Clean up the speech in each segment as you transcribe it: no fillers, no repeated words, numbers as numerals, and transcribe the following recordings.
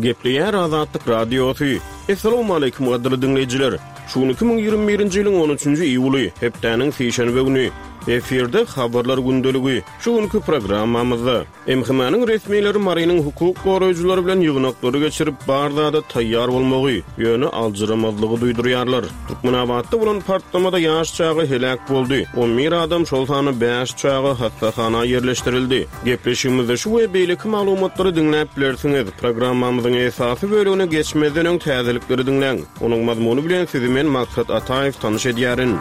Gepleýär Azatlyk Radiosy. Essalawmaleýkim gadyrly diňleýjiler! Şu gün 2021-nji ýylyň on üçünji iýuly, hepdäniň sişenbe güni. Efirde Habarlar gündeligi. Şu günki programmamyzda. MHM-niň resmileri Marynyň hukuk goraýjylary bilen ýygnaklary geçirip, bar zada taýýar bolmagy, ýöne aljyramazlygy duýdurýarlar. Türkmenabatda bolan partlamada ýaş çaga heläk boldy, on bir adam, şol sanda bäş çaga hassahana ýerleşdirildi. Gepleşigimizde şu we beýleki maglumatlary diňläp bilersiňiz. Programmamyzyň esasy bölegine geçmezden öň täzelikleri diňläň. Onuň mazmuny bilen sizi men Maksat Ataýew tanyş edýärin.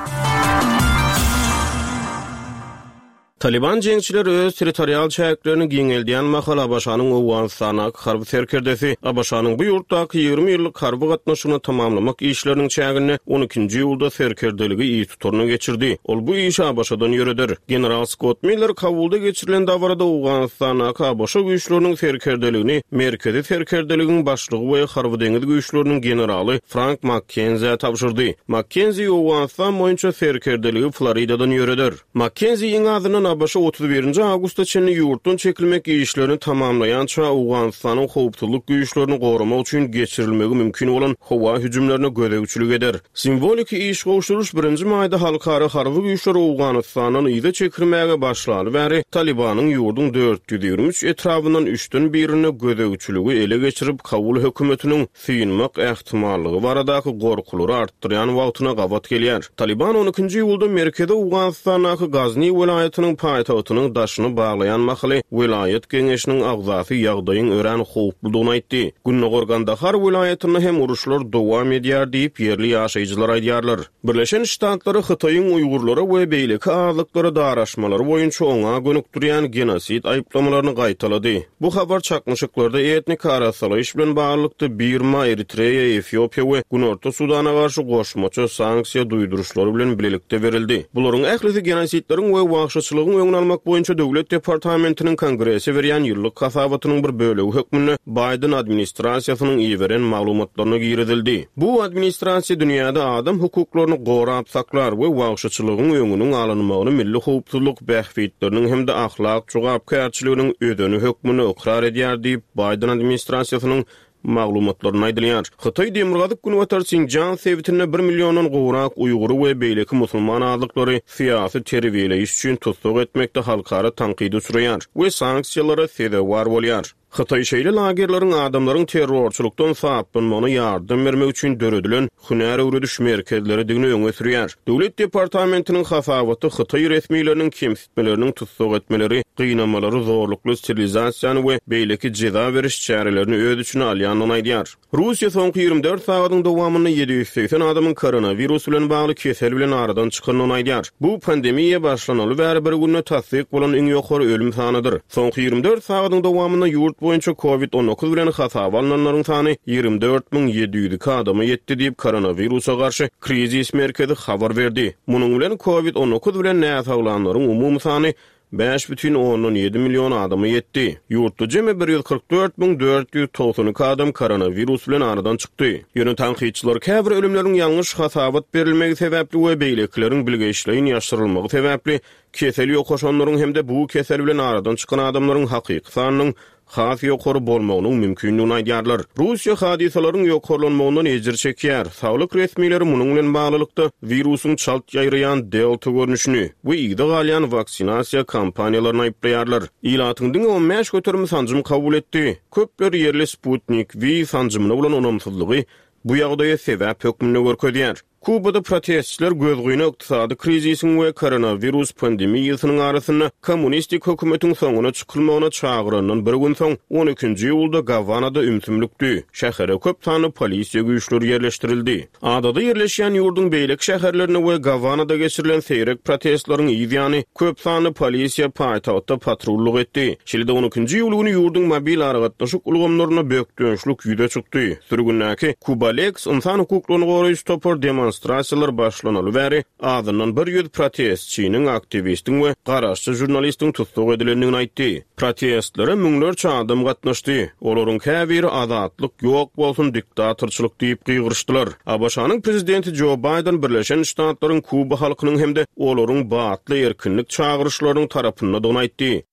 Talyban jeňçileri öz territorial çäklerini giňeldýän mahaly ABŞ-nyň Owganystandaky harby serkerdesi ABŞ-nyň bu ýurtdaky 20 ýyllyk harby gatnaşygyny tamamlamak işleriniň çäginde on ikinji iýulda serkerdeligi yz tutaryna geçirdi. Ol bu işi ABŞ-dan ýöreder. General Skott Miller Kabulda geçirilen dabarada Owganystandaky ABŞ güýçleriniň serkerdeligini Merkezi serkerdeligiň başlygy we Harby-deňiz güýçleriniň generaly Frank Makkenzä tabşyrdy. Makkenzi Owganystan boýunça serkerdeligi Floridadan ýöreder. Makkenzi iň azyndan ABŞ 31-nji awgusta çenli ýurtdan çekilmek işlerini tamamlaýança Owganystanyň howpsuzlyk güýçlerini goramak üçin geçirilmegi mümkin bolan howa hüjümlerine gözegçilik eder. Simwoliki iş gowşuryş birinji maýda halkara harby güýçler Owganystandan yza çekilmäge başlaly bäri Talybanyň ýurduň 423 etrabyndan üçden birinde gözegçiligi ele geçirip Kabul hökümetiniň synmak ähtimallygy baradaky gorkulary artdyrýan wagtyna gabat gelýär. Talyban on ikinji iýulda merkezi Owganystandaky Gazni welaýatynyň paýtagtynyň daşyny baglaýan mahaly welaýat geňeşiniň agzasy ýagdaýyň örän howpludygyny aýtdy. Gündogar Gandahar welaýatynda hem uruşlar dowam edýär diýip, ýerli ýaşaýjylar aýdýarlar. Birleşen Ştatlary Hytaýyň uýgurlara we beýleki azlyklara daraşmalary boýunça oňa gönükdirýän genosid aýyplamalaryny gaýtalady. Bu habar çaknyşyklarda etniki arassalaýyş bilen baglylykda Birma, Eritreýa, Efiopiýa we Günorta Sudana garşy goşmaça sanksiýa duýduryşlary bilen bilelikde berildi. Bularyň ählisi genosidleriň we wagşyçylygyň öňüni almak boýunça Döwlet departamentiniň Kongrese berýän ýyllyk hasabatynyň bir bölegi hökmünde Baýden administrasiýasynyň iberen maglumatlaryna girizildi. Bu administrasiýa dünýäde adam hukuklaryny gorap saklar we wagşyçylygyň öňüniň alynmagyny milli howpsuzlyk bähbitleriniň hem-de ahlak jogapkärçiliginiň özeni hökmünde ykrar edýär diýip, Baýden administrasiýasynyň maglumatlarynda aýdylýar. Hytaý demirgazyk-günbatar Sinjan sebitinde bir milliondan gowrak uýgury we beýleki musulman azlyklary syýasy terbiýeleýiş üçin tussag etmekde halkara tankyda uçraýar we sanksiýalara sezewar bolýar. Hytaý şeýle lagerleriň adamlaryň terrorçylykdan saplanmagyna ýardam bermek üçin döredilen hünär öwrediş merkezleridigini öňe sürýär. Döwlet departamentiniň hasabaty hytaý resmileriniň kemsitmeleriniň tussag etmeleri, gynamalary, zorlukly sterilizasiýany we beýleki jeza beriş çärelerini öz içine alýandygyny aýdýar. Russiýa soňky 24 sagadyň dowamynda 780 adamyň koronawirus bilen bagly kesel bilen aradan çykandygyny aýdýar. Bu pandemiýa başlanaly bäri bir günde tassyk bolan iň ýokary ölüm sanydyr. Soňky 24 sagadyň dowamynda ýurt boýunça Covid 19 bilen hasaba alnanlaryň sany 24 702 adama ýetdi diýip, koronawirusa garşy krizis merkezi habar berdi. Munuň bilen Covid 19 bilen näsaglanlaryň umumy sany 5,7 million adama ýetdi. Ýurtda jemi 144 492 adam koronawirus bilen aradan çykdy. Ýöne tankytçylar käbir ölümleriň ýalňyş hasabat berilmegi sebäpli we beýlekileriň bilgeşleýin ýaşyrylmagy sebäpli kesel ýokaşanlaryň hem-de bu kesel bilen aradan çykan adamlaryň hakyky sanynyň has ýokary bolmagynyň mümkindigini aýdýarlar. Russiýa hadysalaryň ýokarlanmagyndan ejir çekýär. Saglyk resmileri munuň bilen baglylykda, wirusyň çalt ýaýraýan delta görnüşini we yza galýan waksinasiýa kampaniýalaryny aýyplaýarlar. Ilatyň diňe 15 göterimi sanjym kabul etdi. Köpler ýerli Sputnik V sanjymyna bolan ynamsyzlygy bu ýagdaýa sebäp hökmünde görkezýär. Kubada protestçiler gözgyny ykdysady krizisiň we koronawirus pandemiýasynyň arasynda kommunistik hökümetiň soňuna çykylmagyna çagyrandan bir gün soň, on ikinji iýulda Gawanada ümsümlikdi. Şähere köp sanly polisiýa güýçleri ýerleşdirildi. Adada ýerleşýän ýurduň beýleki şäherlerinde we Gawanada geçirilen seýrek protestleriň yz ýany, köp sanly polisiýa paýtagtda patrullyk etdi. Şeýle-de on ikinji iýul güni ýurduň mobil aragatnaşyk ulgamlarynda bökdençlik ýüze çykdy. Sürgündäki Kubaleks ynsan hukuklaryny goraýjy topar demonstrasiýalar başlanaly bäri azyndan bir ýüz protestçiniň, aktiwistiň we garaşsyz žurnalistiň tussag edilendigini aýtdy. Protestlere müňlerçe adam gatnaşdy. Olaryň käbiri Azatlyk ýok bolsun, diktatorçylyk diýip gygyryşdylar. ABŞ-nyň prezidenti Jo Baýden Birleşen Ştatlaryň Kuba halkynyň hem-de olaryň batly erkinlik çagyryşlarynyň tarapyndadygyny aýtdy.